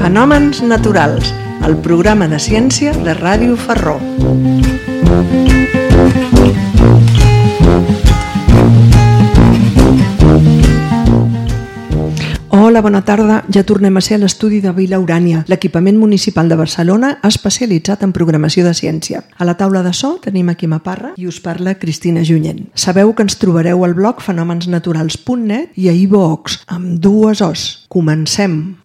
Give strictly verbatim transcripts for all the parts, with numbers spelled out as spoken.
Fenòmens naturals, el programa de ciència de Ràdio Ferró. Hola, bona tarda. Ja tornem a ser a l'estudi de Vila Urània, l'equipament municipal de Barcelona especialitzat en programació de ciència. A la taula de so tenim aquí Quima Parra i us parla Cristina Junyent. Sabeu que ens trobareu al blog fenòmens naturals punt net i a iVoox, amb dues os. Comencem!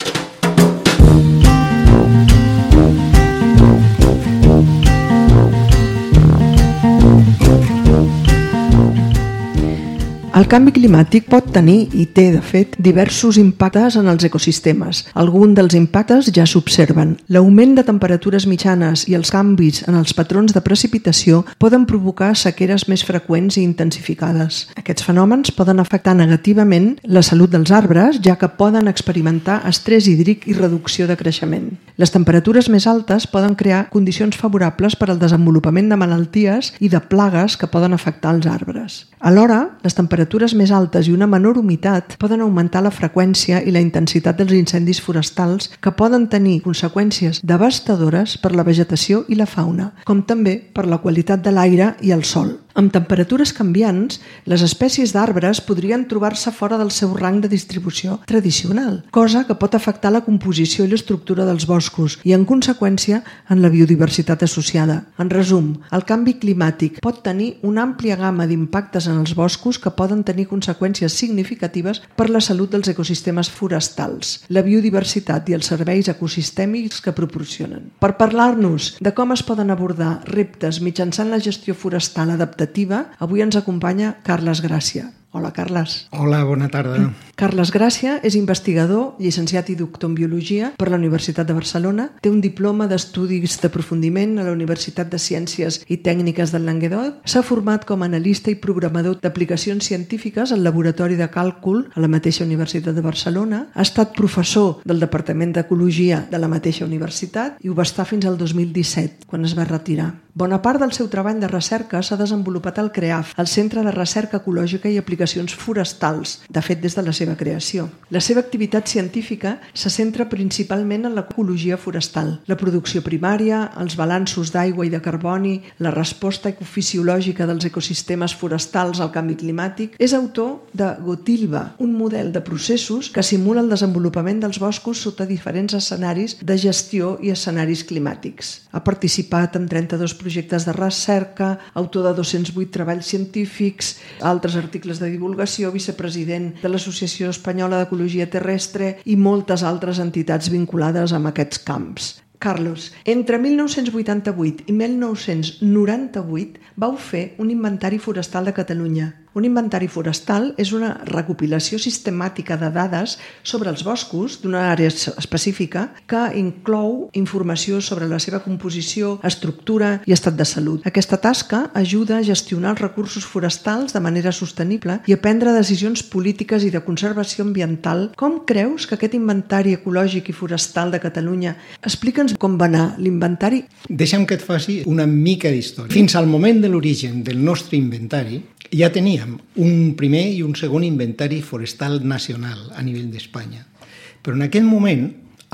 El canvi climàtic pot tenir, i té de fet, diversos impactes en els ecosistemes. Alguns dels impactes ja s'observen. L'augment de temperatures mitjanes i els canvis en els patrons de precipitació poden provocar sequeres més freqüents i intensificades. Aquests fenòmens poden afectar negativament la salut dels arbres, ja que poden experimentar estrès hídric i reducció de creixement. Les temperatures més altes poden crear condicions favorables per al desenvolupament de malalties i de plagues que poden afectar els arbres. Alhora, les temperatures més altes i una menor humitat poden augmentar la freqüència i la intensitat dels incendis forestals que poden tenir conseqüències devastadores per la vegetació i la fauna, com també per la qualitat de l'aire i el sòl. Amb temperatures canviants, les espècies d'arbres podrien trobar-se fora del seu rang de distribució tradicional, cosa que pot afectar la composició i l'estructura dels boscos i, en conseqüència, en la biodiversitat associada. En resum, el canvi climàtic pot tenir una àmplia gamma d'impactes en els boscos que poden tenir conseqüències significatives per la salut dels ecosistemes forestals, la biodiversitat i els serveis ecosistèmics que proporcionen. Per parlar-nos de com es poden abordar reptes mitjançant la gestió forestal adaptativa, avui ens acompanya Carles Gràcia. Hola, Carles. Hola, bona tarda. Carles Gràcia és investigador, llicenciat i doctor en Biologia per la Universitat de Barcelona. Té un diploma d'estudis d'aprofundiment a la Universitat de Ciències i Tècniques del Languedoc. S'ha format com a analista i programador d'aplicacions científiques al Laboratori de Càlcul a la mateixa Universitat de Barcelona. Ha estat professor del Departament d'Ecologia de la mateixa universitat i ho va estar fins al dos mil disset, quan es va retirar. Bona part del seu treball de recerca s'ha desenvolupat al CREAF, el Centre de Recerca Ecològica i Aplicacions Forestals, de fet des de la seva creació. La seva activitat científica se centra principalment en l'ecologia forestal, la producció primària, els balanços d'aigua i de carboni, la resposta ecofisiològica dels ecosistemes forestals al canvi climàtic. És autor de Gotilba, un model de processos que simula el desenvolupament dels boscos sota diferents escenaris de gestió i escenaris climàtics. Ha participat en trenta-dos projectes de recerca, autor de dos-cents vuit treballs científics, altres articles de divulgació, vicepresident de l'Associació Espanyola d'Ecologia Terrestre i moltes altres entitats vinculades amb aquests camps. Carlos, entre mil nou-cents vuitanta-vuit i mil nou-cents noranta-vuit vau fer un inventari forestal de Catalunya. Un inventari forestal és una recopilació sistemàtica de dades sobre els boscos d'una àrea específica que inclou informació sobre la seva composició, estructura i estat de salut. Aquesta tasca ajuda a gestionar els recursos forestals de manera sostenible i a prendre decisions polítiques i de conservació ambiental. Com creus que aquest inventari ecològic i forestal de Catalunya... Explica'ns com va anar l'inventari. Deixa'm que et faci una mica d'història. Fins al moment de l'origen del nostre inventari ja teníem un primer i un segon inventari forestal nacional a nivell d'Espanya. Però en aquell moment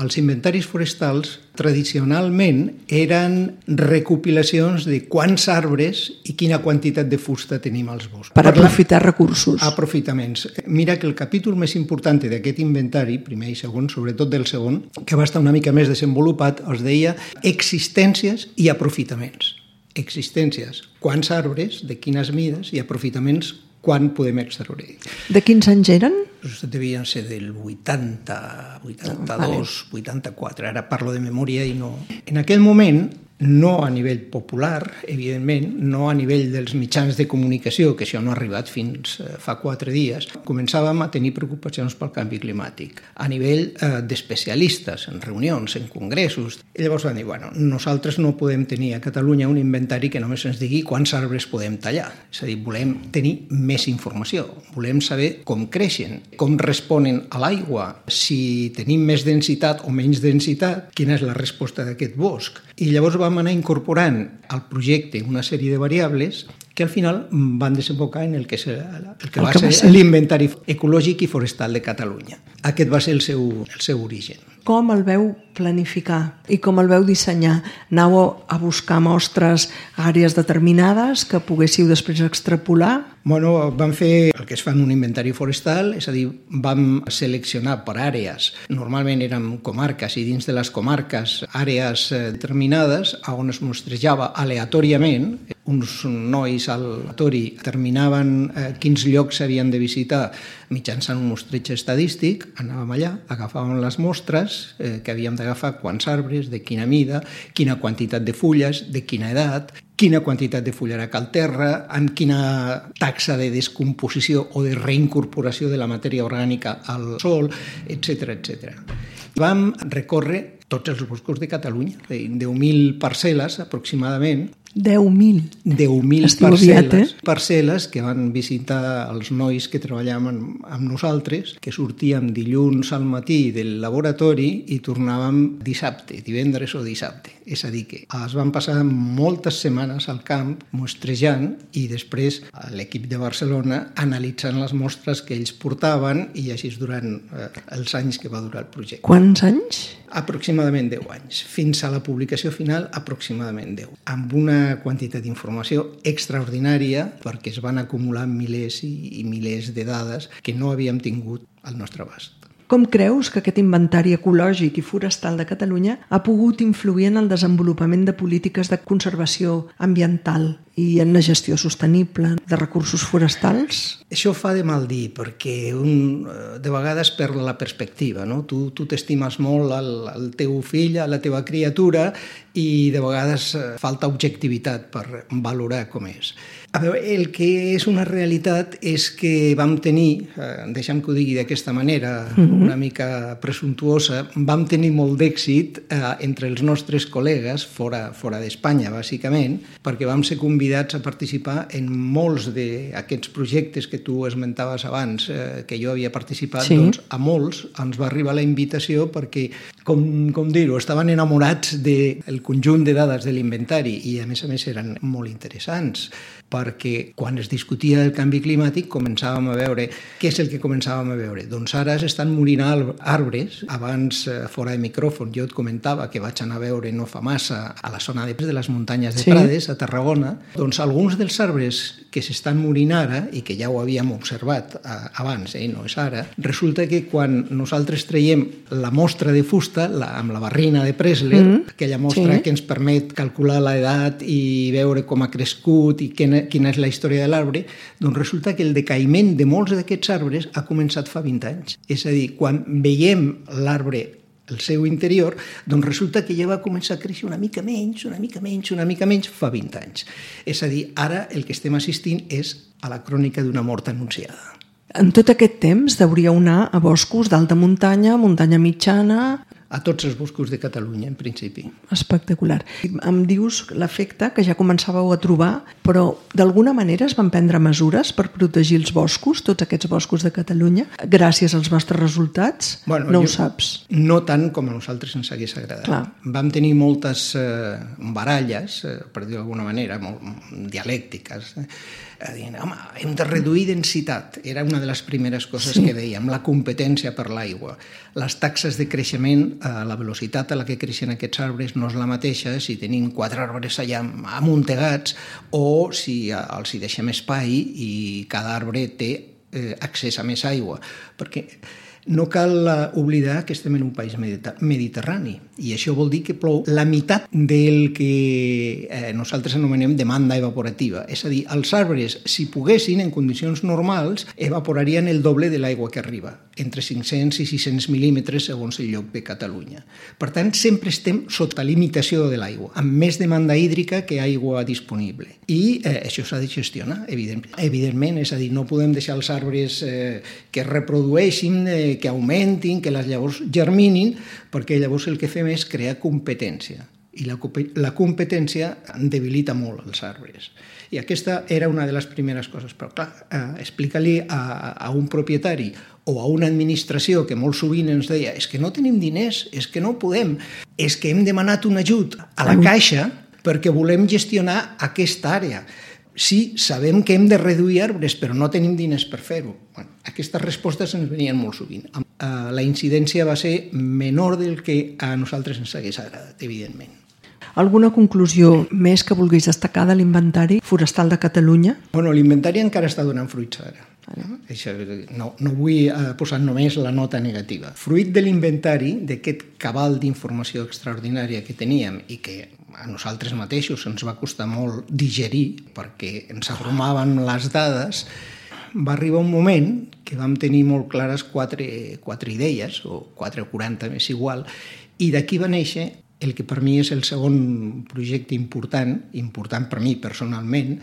els inventaris forestals tradicionalment eren recopilacions de quants arbres i quina quantitat de fusta tenim als boscos. Per aprofitar recursos. Aprofitaments. Mira que el capítol més important d'aquest inventari, primer i segon, sobretot del segon, que va estar una mica més desenvolupat, es deia existències i aprofitaments. Existències, quants arbres, de quines mides, i aprofitaments, quan podem extreure. De quins anys eren? Devien ser del vuitanta, vuitanta-dos, vuitanta-quatre. Ara parlo de memòria i no... En aquell moment, no a nivell popular, evidentment, no a nivell dels mitjans de comunicació, que això no ha arribat fins fa quatre dies, començàvem a tenir preocupacions pel canvi climàtic. A nivell eh, d'especialistes, en reunions, en congressos. I llavors van dir, bueno, nosaltres no podem tenir a Catalunya un inventari que només ens digui quants arbres podem tallar. És a dir, volem tenir més informació. Volem saber com creixen, com responen a l'aigua, si tenim més densitat o menys densitat, quina és la resposta d'aquest bosc. I llavors vam anar incorporant al projecte una sèrie de variables que al final van desembocar en el que, és el, el que el va que ser, ser l'Inventari Ecològic i Forestal de Catalunya. Aquest va ser el seu, el seu origen. Com el veu planificar i com el veu dissenyar? Anàveu a buscar mostres a àrees determinades que poguéssiu després extrapolar? Bueno, vam fer el que es fa en un inventari forestal, és a dir, vam seleccionar per àrees, normalment eren comarques i dins de les comarques àrees determinades on es mostrejava aleatòriament. Uns nois aleatori determinaven eh, quins llocs s'havien de visitar mitjançant un mostreig estadístic, anàvem allà, agafàvem les mostres eh, que havíem d'agafar, quants arbres, de quina mida, quina quantitat de fulles, de quina edat, quina quantitat de fullarac al terra, amb quina taxa de descomposició o de reincorporació de la matèria orgànica al sòl, etcètera, etcètera. Vam recórrer tots els boscos de Catalunya, deu mil parcel·les aproximadament. deu mil? deu mil parcel·les, parcel·les que van visitar els nois que treballaven amb nosaltres, que sortíem dilluns al matí del laboratori i tornàvem dissabte, divendres o dissabte. És a dir, que es van passar moltes setmanes al camp mostrejant i després l'equip de Barcelona analitzant les mostres que ells portaven i així durant eh, els anys que va durar el projecte. Quants anys? Aproximadament deu anys. Fins a la publicació final, aproximadament deu. Amb una quantitat d'informació extraordinària perquè es van acumular milers i milers de dades que no havíem tingut al nostre abast. Com creus que aquest inventari ecològic i forestal de Catalunya ha pogut influir en el desenvolupament de polítiques de conservació ambiental i en la gestió sostenible de recursos forestals? Això fa de mal dir, perquè un de vegades perd la perspectiva, no? Tu, tu t'estimes molt el, el teu fill, la teva criatura, i de vegades falta objectivitat per valorar com és. A veure, el que és una realitat és que vam tenir, eh, deixa'm que ho digui d'aquesta manera, mm-hmm. una mica presumptuosa, vam tenir molt d'èxit eh, entre els nostres col·legues, fora, fora d'Espanya, bàsicament, perquè vam ser convidats a participar en molts d'aquests projectes que tu esmentaves abans, eh, que jo havia participat, sí. Doncs a molts ens va arribar la invitació perquè, com, com dir-ho, estaven enamorats del conjunt de dades de l'inventari i, a més a més, eren molt interessants, perquè quan es discutia el canvi climàtic començàvem a veure... Què és el que començàvem a veure? Doncs ara s'estan morint arbres. Abans, fora de micròfon, jo et comentava que vaig anar a veure no fa massa a la zona de, de les muntanyes de sí. Prades, a Tarragona. Doncs alguns dels arbres que s'estan morint ara, i que ja ho havíem observat abans, eh, no és ara, resulta que quan nosaltres traiem la mostra de fusta, la, amb la barrina de Pressler, mm. aquella mostra sí. que ens permet calcular l'edat i veure com ha crescut i quina quina és la història de l'arbre, doncs resulta que el decaïment de molts d'aquests arbres ha començat fa vint anys. És a dir, quan veiem l'arbre el seu interior, doncs resulta que ja va començar a créixer una mica menys, una mica menys, una mica menys fa vint anys. És a dir, ara el que estem assistint és a la crònica d'una mort anunciada. En tot aquest temps hauríeu anar a boscos d'alta muntanya, muntanya mitjana... A tots els boscos de Catalunya, en principi. Espectacular. Em dius l'efecte que ja començàveu a trobar, però d'alguna manera es van prendre mesures per protegir els boscos, tots aquests boscos de Catalunya, gràcies als vostres resultats? Bueno, no jo, ho saps? No tant com a nosaltres ens hagués agradat. Clar. Vam tenir moltes eh, baralles, eh, per dir d'alguna manera, molt dialèctiques, eh, dient, home, hem de reduir densitat. Era una de les primeres coses sí. que dèiem, la competència per l'aigua. Les taxes de creixement, eh, la velocitat a la que creixen aquests arbres no és la mateixa si tenim quatre arbres allà amuntegats o si els hi deixem espai i cada arbre té eh, accés a més aigua. Perquè no cal oblidar que estem en un país mediterrani i això vol dir que plou la meitat del que eh, nosaltres anomenem demanda evaporativa. És a dir, els arbres, si poguessin, en condicions normals, evaporarien el doble de l'aigua que arriba, entre cinc-cents i sis-cents mil·límetres segons el lloc de Catalunya. Per tant, sempre estem sota limitació de l'aigua, amb més demanda hídrica que aigua disponible. I eh, això s'ha de gestionar, evident, evidentment, és a dir, no podem deixar els arbres eh, que es reprodueixin, eh, que augmentin, que les llavors germinin, perquè llavors el que fem és crear competència. I la, la competència debilita molt els arbres. I aquesta era una de les primeres coses. Però clar, eh, explica-li a, a un propietari o a una administració que molt sovint ens deia és que no tenim diners, és que no podem, és que hem demanat un ajut a la Caixa perquè volem gestionar aquesta àrea. sí, sabem que hem de reduir arbres, però no tenim diners per fer-ho. Bueno, aquestes respostes ens venien molt sovint. La incidència va ser menor del que a nosaltres ens hagués agradat, evidentment. Alguna conclusió més que vulguis destacar de l'inventari forestal de Catalunya? Bueno, l'inventari encara està donant fruits ara. Això, no, no vull posar només la nota negativa. Fruit de l'inventari, d'aquest cabal d'informació extraordinària que teníem i que a nosaltres mateixos ens va costar molt digerir perquè ens abrumaven les dades, va arribar un moment que vam tenir molt clares quatre, quatre idees, o quatre o quaranta, més igual, i d'aquí va néixer el que per mi és el segon projecte important, important per mi personalment,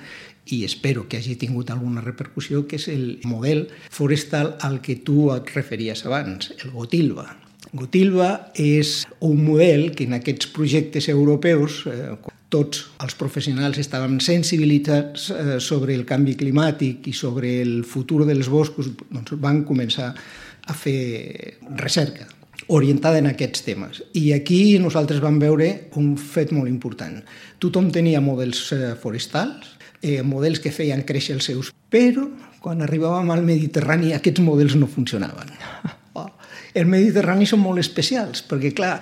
i espero que hagi tingut alguna repercussió, que és el model forestal al que tu et referies abans, el Gotilva. Gotilva és un model que en aquests projectes europeus, eh, tots els professionals estàvem sensibilitzats eh, sobre el canvi climàtic i sobre el futur dels boscos, doncs van començar a fer recerca orientada en aquests temes. I aquí nosaltres vam veure un fet molt important. Tothom tenia models forestals, eh, models que feien créixer els seus, però quan arribàvem al Mediterrani aquests models no funcionaven. Els Mediterranis són molt especials, perquè clar,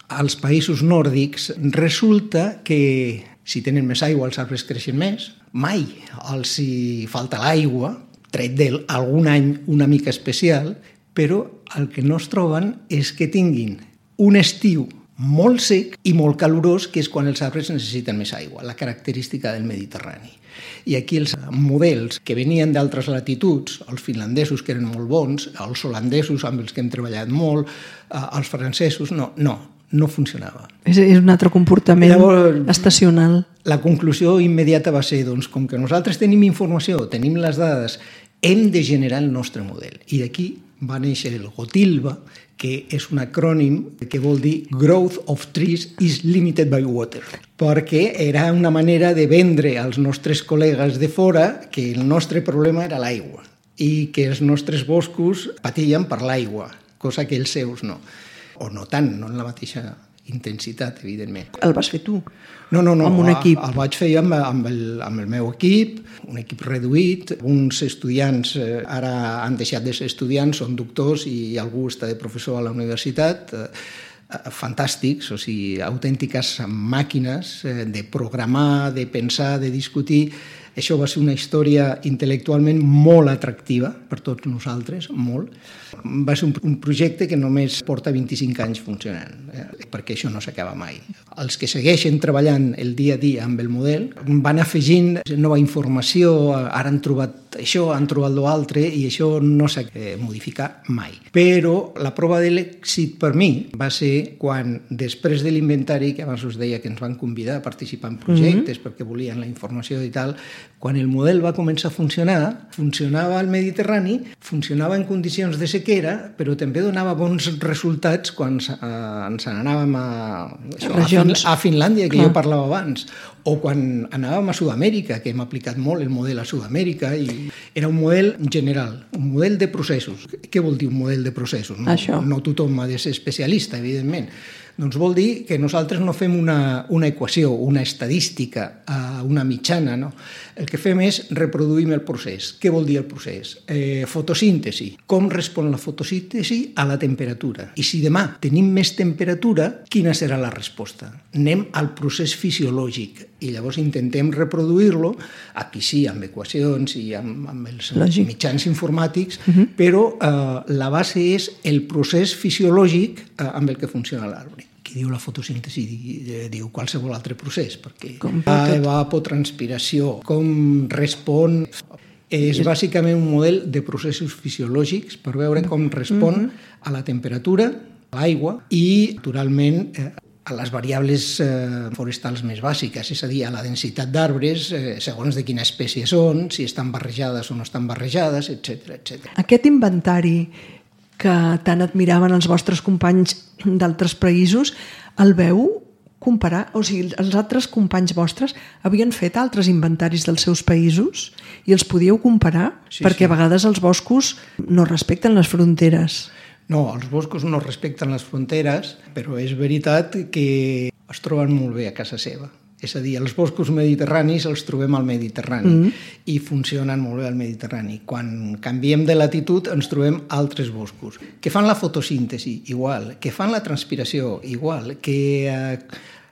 als països nòrdics resulta que si tenen més aigua els arbres creixen més, mai els hi falta l'aigua, tret d'algun any una mica especial, però el que no es troben és que tinguin un estiu molt sec i molt calorós, que és quan els arbres necessiten més aigua, la característica del Mediterrani. I aquí els models que venien d'altres latituds, els finlandesos, que eren molt bons, els holandesos, amb els que hem treballat molt, els francesos, no, no, no funcionava. És, és un altre comportament Llavors, estacional. La conclusió immediata va ser, doncs, com que nosaltres tenim informació, tenim les dades, hem de generar el nostre model. I d'aquí va néixer el Gotilva, que és un acrònim que vol dir Growth of Trees is Limited by Water, perquè era una manera de vendre als nostres col·legues de fora que el nostre problema era l'aigua i que els nostres boscos patien per l'aigua, cosa que els seus no. O no tant, no en la mateixa intensitat, evidentment. El vas fer tu? No, no, no. Amb un equip? El vaig fer amb, amb, el, amb el meu equip, un equip reduït. Uns estudiants eh, ara han deixat de ser estudiants, són doctors i algú està de professor a la universitat. Eh, fantàstics, o sigui, autèntiques màquines eh, de programar, de pensar, de discutir. Això va ser una història intel·lectualment molt atractiva per tots nosaltres, molt. Va ser un, un projecte que només porta vint-i-cinc anys funcionant, eh, perquè això no s'acaba mai. Els que segueixen treballant el dia a dia amb el model van afegint nova informació, ara han trobat això, han trobat l'altre, i això no s'ha de modificar mai. Però la prova de l'èxit per mi va ser quan, després de l'inventari, que abans us deia que ens van convidar a participar en projectes mm-hmm. perquè volien la informació i tal, quan el model va començar a funcionar, funcionava al Mediterrani, funcionava en condicions de sequera, però també donava bons resultats quan eh, ens n'anàvem a, això, a, fin, a Finlàndia, que Clar. jo parlava abans, o quan anàvem a Sud-amèrica, que hem aplicat molt el model a Sud-amèrica, i era un model general, un model de processos. Què vol dir un model de processos? No, no tothom ha de ser especialista, evidentment. Doncs vol dir que nosaltres no fem una, una equació, una estadística, una mitjana, no? El que fem és reproduïm el procés. Què vol dir el procés? Eh, fotosíntesi. Com respon la fotosíntesi a la temperatura? I si demà tenim més temperatura, quina serà la resposta? Anem al procés fisiològic i llavors intentem reproduir-lo, aquí sí, amb equacions i amb, amb els Lògic. mitjans informàtics, uh-huh. però eh, la base és el procés fisiològic eh, amb el que funciona l'arbre. Qui diu la fotosíntesi diu qualsevol altre procés, perquè la evapotranspiració, com respon... És bàsicament un model de processos fisiològics per veure com respon mm-hmm. a la temperatura, a l'aigua i, naturalment, a les variables eh, forestals més bàsiques, és a dir, a la densitat d'arbres, eh, segons de quina espècie són, si estan barrejades o no estan barrejades, etcètera, etcètera. Aquest inventari que tant admiraven els vostres companys d'altres països, el veu comparar? O sigui, els altres companys vostres havien fet altres inventaris dels seus països i els podíeu comparar? Sí, perquè sí. a vegades els boscos no respecten les fronteres. No, els boscos no respecten les fronteres, però és veritat que es troben molt bé a casa seva. És a dir, els boscos mediterranis els trobem al Mediterrani mm. i funcionen molt bé al Mediterrani. Quan canviem de latitud ens trobem altres boscos que fan la fotosíntesi, igual, que fan la transpiració, igual, que eh,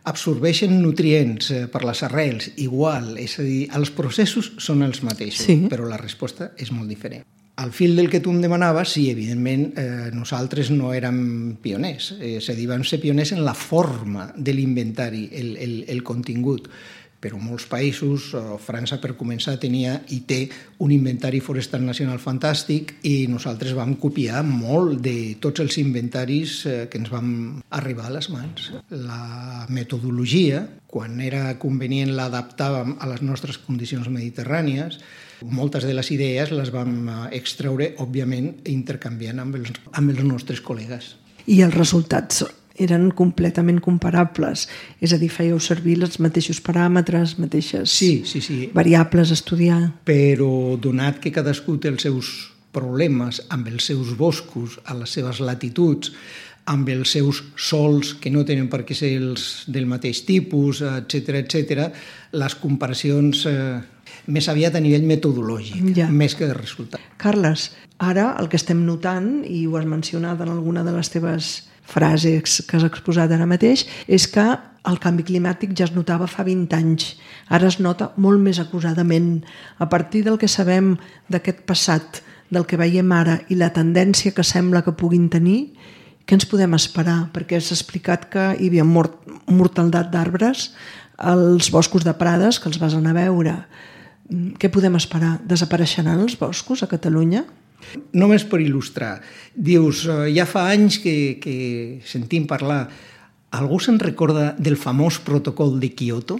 absorbeixen nutrients eh, per les arrels, igual. És a dir, els processos són els mateixos, sí. però la resposta és molt diferent. Al fil del que tu em demanaves, sí, evidentment, eh, nosaltres no érem pioners. Eh, és a dir, vam ser pioners en la forma de l'inventari, el, el, el contingut. Però molts països, eh, França per començar tenia i té un inventari forestal nacional fantàstic i nosaltres vam copiar molt de tots els inventaris eh, que ens vam arribar a les mans. La metodologia, quan era convenient l'adaptàvem a les nostres condicions mediterrànies. Moltes de les idees les vam extreure, òbviament, intercanviant amb els, amb els nostres col·legues. I els resultats eren completament comparables? És a dir, fèieu servir els mateixos paràmetres, mateixes sí, sí, sí. variables a estudiar? Però donat que cadascú té els seus problemes amb els seus boscos, a les seves latituds, amb els seus sols que no tenen per què ser els del mateix tipus, etcètera, etcètera, les comparacions eh, més aviat a nivell metodològic, ja. més que de resultat. Carles, ara el que estem notant, i ho has mencionat en alguna de les teves frases que has exposat ara mateix, és que el canvi climàtic ja es notava fa vint anys. Ara es nota molt més acusadament. A partir del que sabem d'aquest passat, del que veiem ara i la tendència que sembla que puguin tenir, què ens podem esperar? Perquè has explicat que hi havia mort, mortaldat d'arbres als boscos de prades, que els vas anar a veure. Què podem esperar? Desapareixeran els boscos a Catalunya? Només per il·lustrar. Dius, ja fa anys que, que sentim parlar. Algú se'n recorda del famós protocol de Kyoto?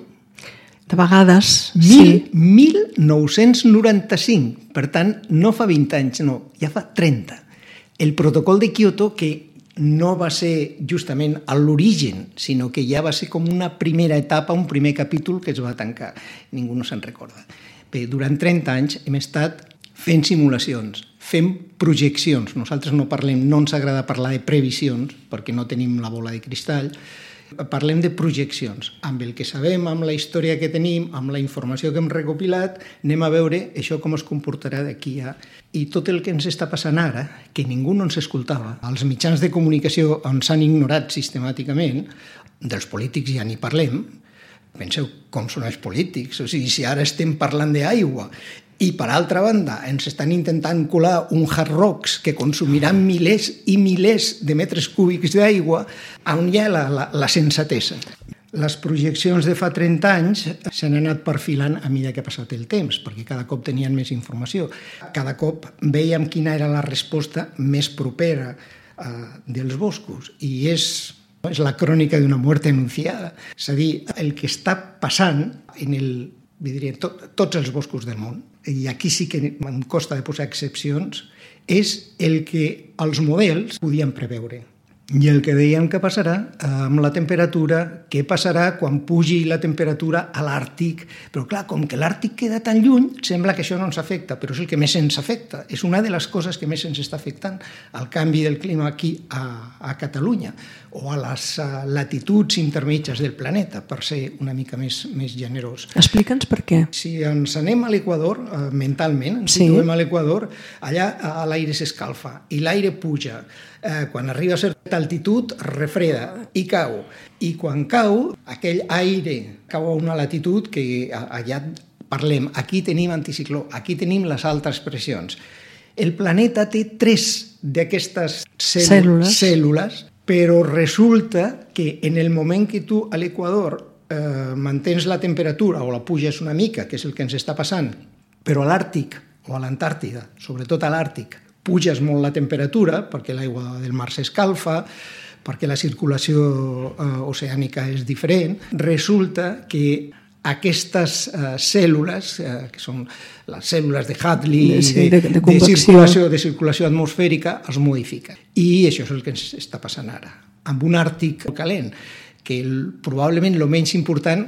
De vegades, Mil, sí. mil nou-cents noranta-cinc. Per tant, no fa vint anys, no, ja fa trenta. El protocol de Kyoto, que no va ser justament a l'origen, sinó que ja va ser com una primera etapa, un primer capítol que es va tancar. Ningú no se'n recorda. Bé, durant trenta anys hem estat fent simulacions, fent projeccions. Nosaltres no parlem, no ens agrada parlar de previsions, perquè no tenim la bola de cristall. Parlem de projeccions. Amb el que sabem, amb la història que tenim, amb la informació que hem recopilat, anem a veure això com es comportarà d'aquí a... I tot el que ens està passant ara, que ningú no ens escoltava, els mitjans de comunicació ens han ignorat sistemàticament, dels polítics ja ni parlem. Penseu com són els polítics, o sigui, si ara estem parlant d'aigua i per altra banda ens estan intentant colar un hard rocks que consumiran milers i milers de metres cúbics d'aigua, on hi ha la, la, la sensatesa. Les projeccions de fa trenta anys s'han anat perfilant a mesura que ha passat el temps, perquè cada cop tenien més informació. Cada cop veiem quina era la resposta més propera eh, dels boscos, i és... és la crònica d'una muerte anunciada. És a dir, el que està passant en el, diria, tot, tots els boscos del món, i aquí sí que em costa de posar excepcions, és el que els models podien preveure. I el que dèiem que passarà amb la temperatura, què passarà quan pugi la temperatura a l'Àrtic. Però clar, com que l'Àrtic queda tan lluny, sembla que això no ens afecta, però és el que més ens afecta. És una de les coses que més ens està afectant, el canvi del clima aquí a, a Catalunya o a les latituds intermitges del planeta, per ser una mica més, més generós. Explica'ns per què. Si ens anem a l'Equador, eh, mentalment, ens sí. situem a l'Equador, allà l'aire s'escalfa i l'aire puja. Eh, quan arriba a certa altitud, refreda i cau. I quan cau, aquell aire cau a una latitud que allà parlem. Aquí tenim anticicló, aquí tenim les altes pressions. El planeta té tres d'aquestes cèl·lules, cèl·lules, però resulta que en el moment que tu a l'Equador eh, mantens la temperatura o la puges una mica, que és el que ens està passant, però a l'Àrtic o a l'Antàrtida, sobretot a l'Àrtic, puges molt la temperatura perquè l'aigua del mar s'escalfa, perquè la circulació eh, oceànica és diferent, resulta que aquestes eh, cèl·lules, eh, que són les cèl·lules de Hadley, sí, de, de, de, de, circulació, de circulació atmosfèrica, es modifiquen. I això és el que ens està passant ara. Amb un Àrtic calent, que el, probablement el menys important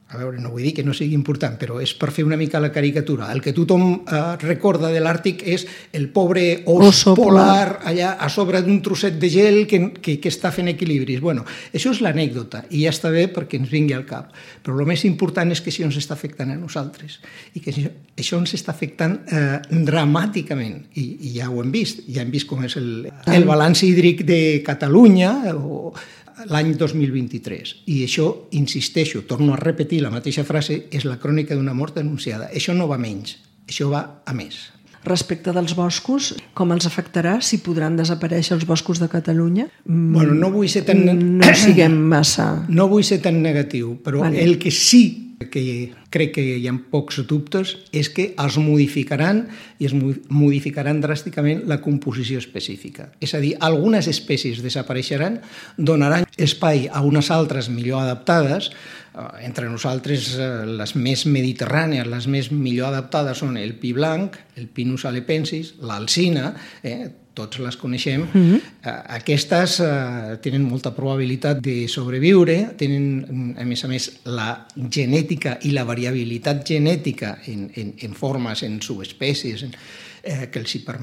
a veure, no vull dir que no sigui important, però és per fer una mica la caricatura. El que tothom eh, recorda de l'Àrtic és el pobre os Oso polar allà a sobre d'un trosset de gel que, que, que està fent equilibris. Bueno, això és l'anècdota i ja està bé perquè ens vingui al cap. Però el més important és que això ens està afectant a nosaltres i que això, això ens està afectant eh, dramàticament. I, I ja ho hem vist. Ja hem vist com és el, el balanç hídric de Catalunya o l'any dos mil vint-i-tres. I això, insisteixo, torno a repetir la mateixa frase, és la crònica d'una mort anunciada. Això no va menys, això va a més. Respecte dels boscos, com els afectarà, si podran desaparèixer els boscos de Catalunya? Bueno, no vull ser tan... No siguem massa... No vull ser tan negatiu, però vale. El que sí que crec que hi ha pocs dubtes és que els modificaran i es modificaran dràsticament la composició específica. És a dir, algunes espècies desapareixeran, donaran espai a unes altres millor adaptades. Entre nosaltres, les més mediterrànies, les més millor adaptades són el pi blanc, el Pinus alepensis, l'alzina, eh, tots les coneixem. Mm-hmm. Aquestes eh, tenen molta probabilitat de sobreviure, tenen, a més a més, la genètica i la variabilitat genètica en, en, en formes, en subespècies, eh, que els hi, per,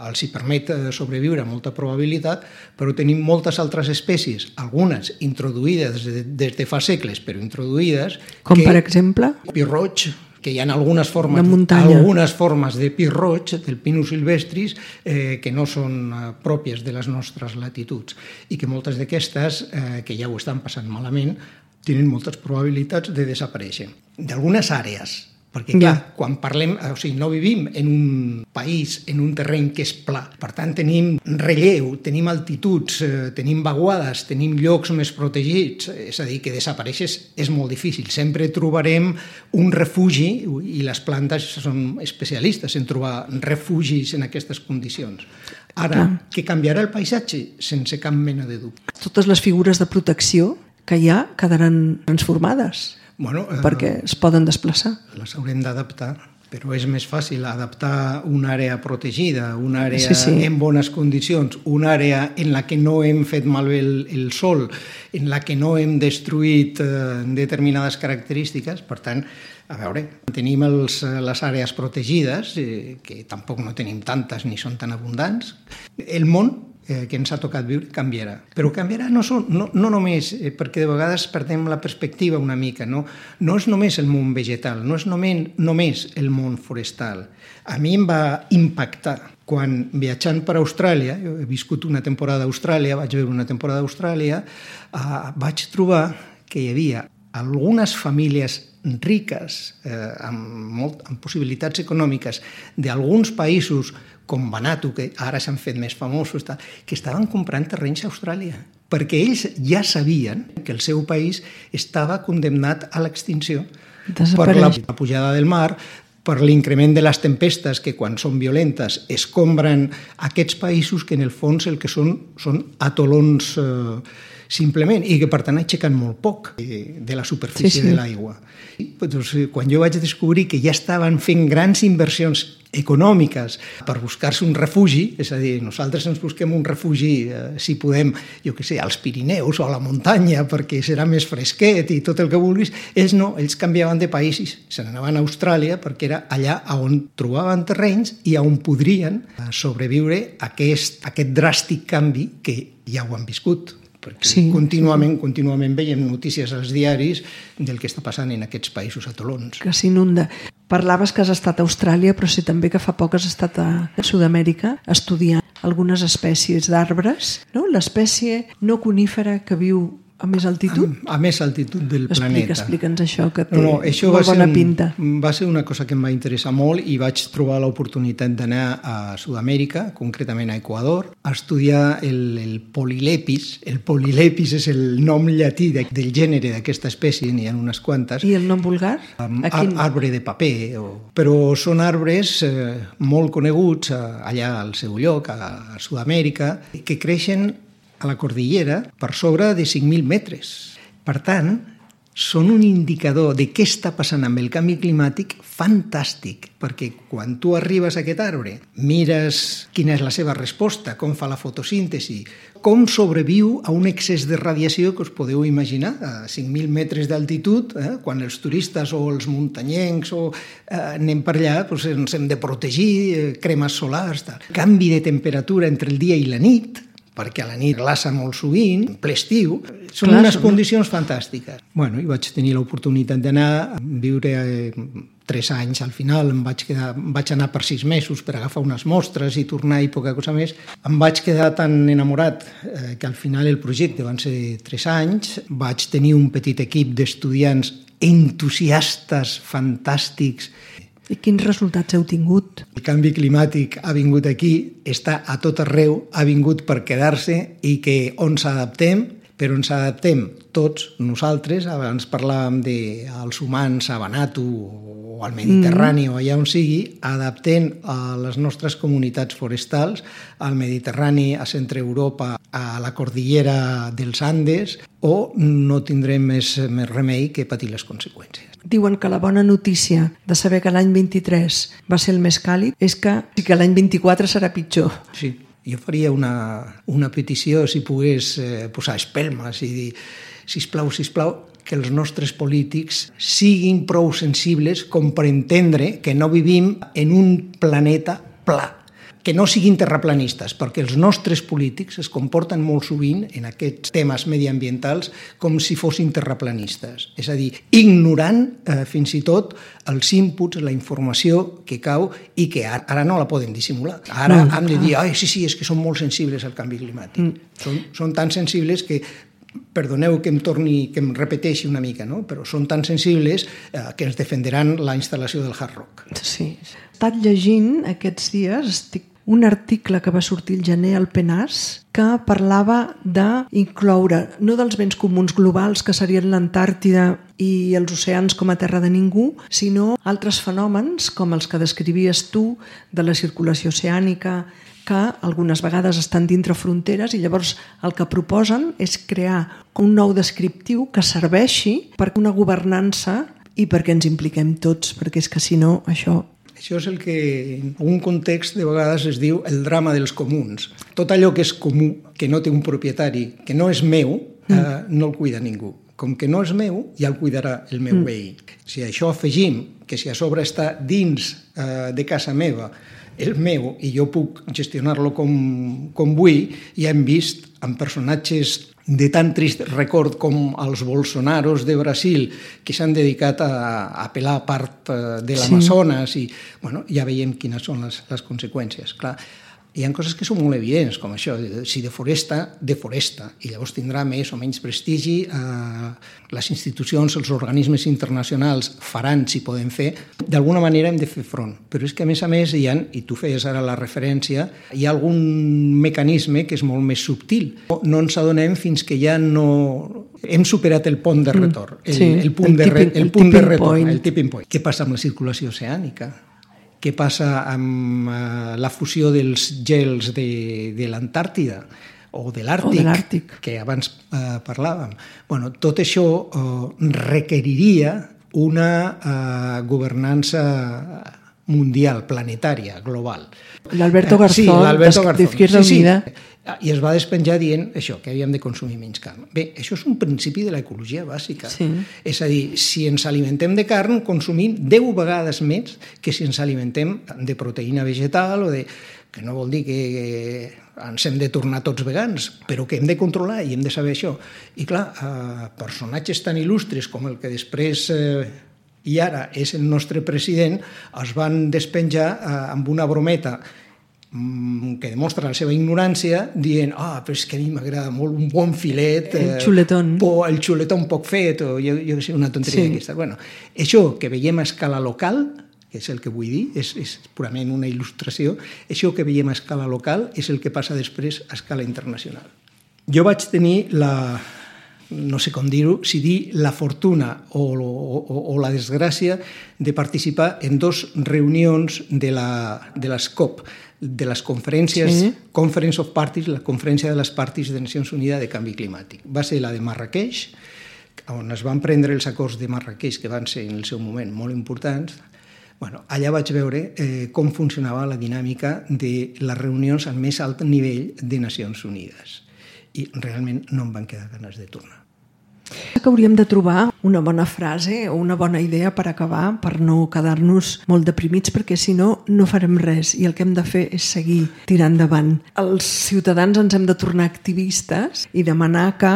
els hi permet sobreviure amb molta probabilitat, però tenim moltes altres espècies, algunes introduïdes des de, des de fa segles, però introduïdes... Com que, per exemple? Pi roig, que hi ha algunes formes, de algunes formes de pi roig, del Pinus silvestris, eh, que no són eh, pròpies de les nostres latituds i que moltes d'aquestes, eh, que ja ho estan passant malament, tenen moltes probabilitats de desaparèixer. D'algunes àrees, perquè clar, ja. Quan parlem, o sigui, no vivim en un país, en un terreny que és pla. Per tant, tenim relleu, tenim altituds, eh, tenim vaguades, tenim llocs més protegits, és a dir, que desapareixes és molt difícil. Sempre trobarem un refugi, i les plantes són especialistes en trobar refugis en aquestes condicions. Ara, clar. Que canviarà el paisatge? Sense cap mena de dubte. Totes les figures de protecció que hi ha quedaran transformades. Bueno, eh, perquè es poden desplaçar. Les haurem d'adaptar, però és més fàcil adaptar una àrea protegida, una àrea sí, sí. en bones condicions, una àrea en la que no hem fet malbé el, el sol, en la que no hem destruït eh, determinades característiques. Per tant, a veure, tenim els, les àrees protegides, eh, que tampoc no tenim tantes ni són tan abundants. El món Eh, que ens ha tocat viure, canviarà. Però canviarà no, són, no, no només, eh, perquè de vegades perdem la perspectiva una mica, no, no és només el món vegetal, no és només, només el món forestal. A mi em va impactar quan viatjant per Austràlia, jo he viscut una temporada a Austràlia, vaig veure una temporada a Austràlia, eh, vaig trobar que hi havia algunes famílies riques, eh, amb, molt, amb possibilitats econòmiques, d'alguns països com Vanuatu, que ara s'han fet més famosos, que estaven comprant terrenys a Austràlia, perquè ells ja sabien que el seu país estava condemnat a l'extinció per la pujada del mar, per l'increment de les tempestes que quan són violentes escombren aquests països que en el fons el que són són atolons eh, simplement, i que per tant aixequen molt poc de la superfície sí, sí. de l'aigua. Doncs, quan jo vaig descobrir que ja estaven fent grans inversions econòmiques per buscar-se un refugi, és a dir, nosaltres ens busquem un refugi, eh, si podem, jo què sé, als Pirineus o a la muntanya, perquè serà més fresquet i tot el que vulguis, ells no, ells canviaven de països, se n'anaven a Austràlia perquè era allà on trobaven terrenys i on podrien sobreviure aquest, aquest dràstic canvi que ja ho han viscut. Perquè sí, contínuament, sí. contínuament veiem notícies als diaris del que està passant en aquests països atolons. Que s'inunda. Parlaves que has estat a Austràlia, però sí també que fa poc has estat a Sud-amèrica estudiant algunes espècies d'arbres, no? L'espècie no conífera que viu a més altitud? A, a més altitud del Explica, planeta. Explica'ns això, que té no, no, això molt bona un, pinta. Va ser una cosa que em va interessar molt i vaig trobar l'oportunitat d'anar a Sud-amèrica, concretament a Equador, a estudiar el, el polilepis. El polilepis és el nom llatí de, del gènere d'aquesta espècie, n'hi ha unes quantes. I el nom vulgar? Um, quin... Arbre de paper. O... Però són arbres eh, molt coneguts eh, allà al seu lloc, a, a Sud-amèrica, que creixen a la cordillera per sobre de cinc mil metres. Per tant, són un indicador de què està passant amb el canvi climàtic fantàstic, perquè quan tu arribes a aquest arbre, mires quina és la seva resposta, com fa la fotosíntesi, com sobreviu a un excés de radiació que us podeu imaginar, a cinc mil metres d'altitud, eh? Quan els turistes o els muntanyencs o, eh, anem per allà, doncs ens hem de protegir, eh, cremes solars, tal. Canvi de temperatura entre el dia i la nit, perquè a la nit glaça molt sovint, en ple estiu, són Clar, unes són... condicions fantàstiques. Bueno, i vaig tenir l'oportunitat d'anar a viure eh, tres anys al final, em vaig, quedar, em vaig anar per sis mesos per agafar unes mostres i tornar i poca cosa més. Em vaig quedar tan enamorat eh, que al final el projecte van ser tres anys, vaig tenir un petit equip d'estudiants entusiastes, fantàstics. I quins resultats heu tingut? El canvi climàtic ha vingut aquí, està a tot arreu, ha vingut per quedar-se i que on s'adaptem, però on s'adaptem tots nosaltres, abans parlàvem dels humans a Vanuatu o al Mediterrani mm. o allà on sigui, adaptem a les nostres comunitats forestals, al Mediterrani, a Centre Europa, a la cordillera dels Andes, o no tindrem més, més remei que patir les conseqüències. Diuen que la bona notícia de saber que l'any vint-i-tres va ser el més càlid és que, que l'any vint-i-quatre serà pitjor. Sí, jo faria una, una petició, si pogués eh, posar espelmes i dir, sisplau, sisplau, que els nostres polítics siguin prou sensibles com per entendre que no vivim en un planeta pla, que no siguin terraplanistes, perquè els nostres polítics es comporten molt sovint en aquests temes mediambientals com si fossin terraplanistes. És a dir, ignorant eh, fins i tot els inputs, la informació que cau i que ara, ara no la poden dissimular. Ara no, han de dir, ai, sí, sí, és que són molt sensibles al canvi climàtic. Mm. Són, són tan sensibles que perdoneu que em torni, que em repeteixi una mica, no? Però són tan sensibles eh, que ens defenderan la instal·lació del hard rock. Sí. He estat llegint aquests dies, estic un article que va sortir el gener al Penas que parlava d'incloure no dels béns comuns globals que serien l'Antàrtida i els oceans com a terra de ningú, sinó altres fenòmens com els que descrivies tu de la circulació oceànica, que algunes vegades estan dintre fronteres i llavors el que proposen és crear un nou descriptiu que serveixi per una governança i perquè ens impliquem tots, perquè és que si no això... Això és el que en un context de vegades es diu el drama dels comuns. Tot allò que és comú, que no té un propietari, que no és meu, mm. eh, no el cuida ningú. Com que no és meu, ja el cuidarà el meu mm. veí. Si a això afegim que si a sobre està dins eh, de casa meva el meu i jo puc gestionar-lo com, com vull, ja hem vist amb personatges de tan trist record com els Bolsonaros de Brasil, que s'han dedicat a, a pelar part de l'Amazones, sí. I bueno, ja veiem quines són les, les conseqüències. Clar, hi ha coses que són molt evidents, com això, si deforesta, deforesta, i llavors tindrà més o menys prestigi, eh, les institucions, els organismes internacionals faran, si poden fer, d'alguna manera hem de fer front. Però és que, a més a més, hi ha, i tu feies ara la referència, hi ha algun mecanisme que és molt més subtil. No ens adonem fins que ja no... Hem superat el pont de retorn, el, sí, el punt, el de, tipping, el punt el de retorn, point. el tipping point. Què passa amb la circulació oceànica? Què passa amb uh, la fusió dels gels de, de l'Antàrtida o de l'Àrtic, que abans uh, parlàvem? Bueno, tot això uh, requeriria una uh, governança mundial, planetària, global. L'Alberto Garzón, sí, l'Alberto Garzón. d'Izquierda sí, sí. Unida. I es va despenjar dient això, que havíem de consumir menys carn. Bé, això és un principi de l'ecologia bàsica. Sí. És a dir, si ens alimentem de carn, consumim deu vegades més que si ens alimentem de proteïna vegetal o de... que no vol dir que ens hem de tornar tots vegans, però que hem de controlar i hem de saber això. I clar, eh, personatges tan il·lustres com el que després... Eh, i ara és el nostre president, es van despenjar eh, amb una brometa que demostra la seva ignorància, dient, ah, però és que a mi m'agrada molt un bon filet... El xuletón. Eh, el xuletón poc fet, o jo, jo sé, una tonteria sí. d'aquesta. Bueno, això que veiem a escala local, que és el que vull dir, és, és purament una il·lustració, això que veiem a escala local és el que passa després a escala internacional. Jo vaig tenir la... no sé com dir-ho, si dir la fortuna o, o, o la desgràcia de participar en dos reunions de, la, de les COP, de les conferències, sí. Conference of Parties, la conferència de les parties de Nacions Unides de canvi climàtic. Va ser la de Marrakeix, on es van prendre els acords de Marrakeix, que van ser en el seu moment molt importants, bueno, allà vaig veure eh, com funcionava la dinàmica de les reunions al més alt nivell de Nacions Unides. I realment no em van quedar ganes de tornar. Que hauríem de trobar una bona frase o una bona idea per acabar, per no quedar-nos molt deprimits, perquè si no, no farem res i el que hem de fer és seguir tirant endavant. Els ciutadans ens hem de tornar activistes i demanar que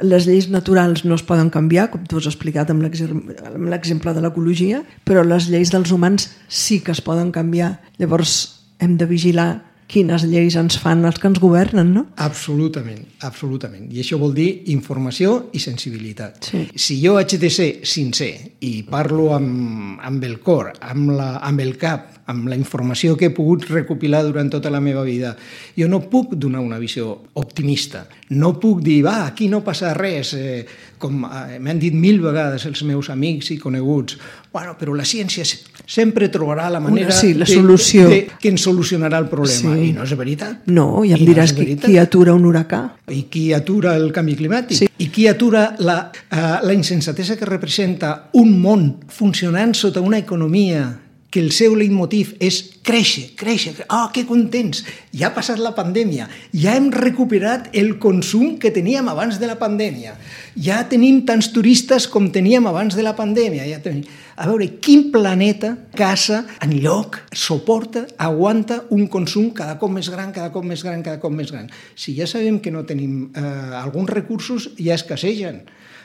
les lleis naturals no es poden canviar, com tu has explicat amb l'exemple de l'ecologia, però les lleis dels humans sí que es poden canviar. Llavors hem de vigilar quines lleis ens fan els que ens governen, no? Absolutament, absolutament. I això vol dir informació i sensibilitat. Sí. Si jo haig de ser sincer i parlo amb, amb el cor, amb, la, amb el cap, amb la informació que he pogut recopilar durant tota la meva vida, jo no puc donar una visió optimista. No puc dir, va, aquí no passa res, eh, com eh, m'han dit mil vegades els meus amics i coneguts. Bueno, però la ciència sempre trobarà la manera una, sí, la solució. De, de, que ens solucionarà el problema. Sí. I no és veritat. No, ja em I diràs no qui, qui atura un huracà. I qui atura el canvi climàtic. Sí. I qui atura la, uh, la insensatesa que representa un món funcionant sota una economia que el seu leitmotiv és créixer, créixer, ah, oh, que contents, ja ha passat la pandèmia, ja hem recuperat el consum que teníem abans de la pandèmia, ja tenim tants turistes com teníem abans de la pandèmia, ja tenim... A veure, quin planeta, casa, enlloc, suporta, aguanta un consum cada cop més gran, cada cop més gran, cada cop més gran? Si ja sabem que no tenim eh, alguns recursos, ja escassegen.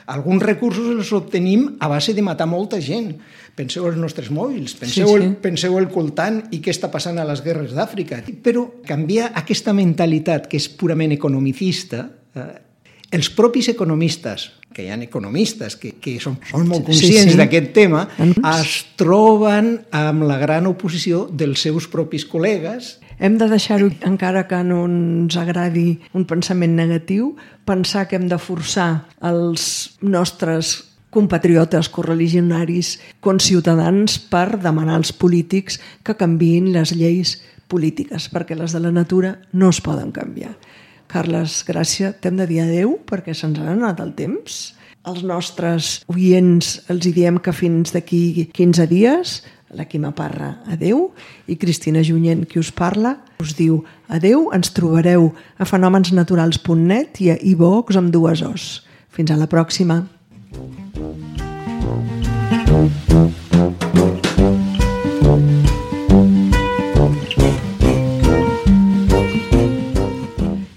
Alguns recursos els obtenim a base de matar molta gent. Penseu els nostres mòbils, penseu, sí, sí. El, penseu el coltant i què està passant a les guerres d'Àfrica. Però canviar aquesta mentalitat que és purament economicista, eh, els propis economistes, que hi ha economistes que, que són, són molt conscients sí, sí. d'aquest tema, es troben amb la gran oposició dels seus propis col·legues. Hem de deixar-ho, encara que no ens agradi un pensament negatiu, pensar que hem de forçar els nostres compatriotes correligionaris conciutadans per demanar als polítics que canviïn les lleis polítiques, perquè les de la natura no es poden canviar. Carles Gràcia, t'hem de dir adeu perquè se'ns ha anat el temps. Els nostres oients els hi diem que fins d'aquí quinze dies, la Quima Parra, adeu, i Cristina Junyent, qui us parla, us diu adeu, ens trobareu a fenòmens naturals punt net i a iVox amb dues os. Fins a la pròxima.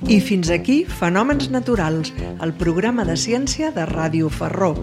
I fins aquí Fenòmens Naturals, el programa de ciència de Ràdio Ferró.